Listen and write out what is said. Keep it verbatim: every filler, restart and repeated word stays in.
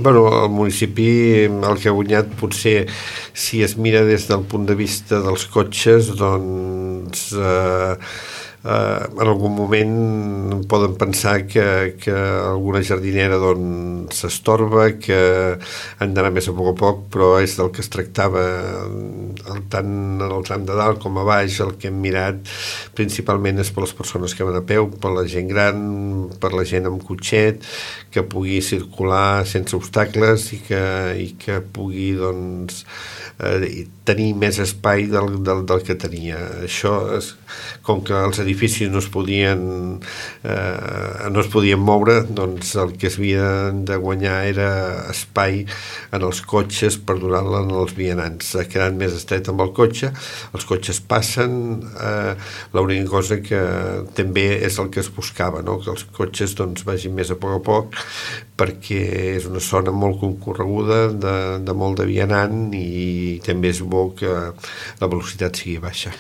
Bueno, el municipi el que ha guanyat potser, si es mira des del punt de vista dels cotxes, doncs eh, eh, en algun moment poden pensar que, que alguna jardinera doncs s'estorba, que han d'anar més a poc a poc, però és del que es tractava el, tant en el tram de dalt com a baix. El que hem mirat principalment és per les persones que van a peu, per la gent gran, per la gent amb cotxet, que pugui circular sense obstacles i que, i que pugui doncs eh, tenir més espai del, del, del que tenia. Això és, com que els edificis no es podien eh, no es podien moure, doncs el que es havia de guanyar era espai en els cotxes per donar-la als vianants. Ha quedat més estret amb el cotxe, els cotxes passen, eh, l'única cosa que també és el que es buscava, no? Que els cotxes doncs vagin més a poc a poc, perquè és una zona molt concorreguda, de, de molt de vianant, i també és bo que la velocitat sigui baixa.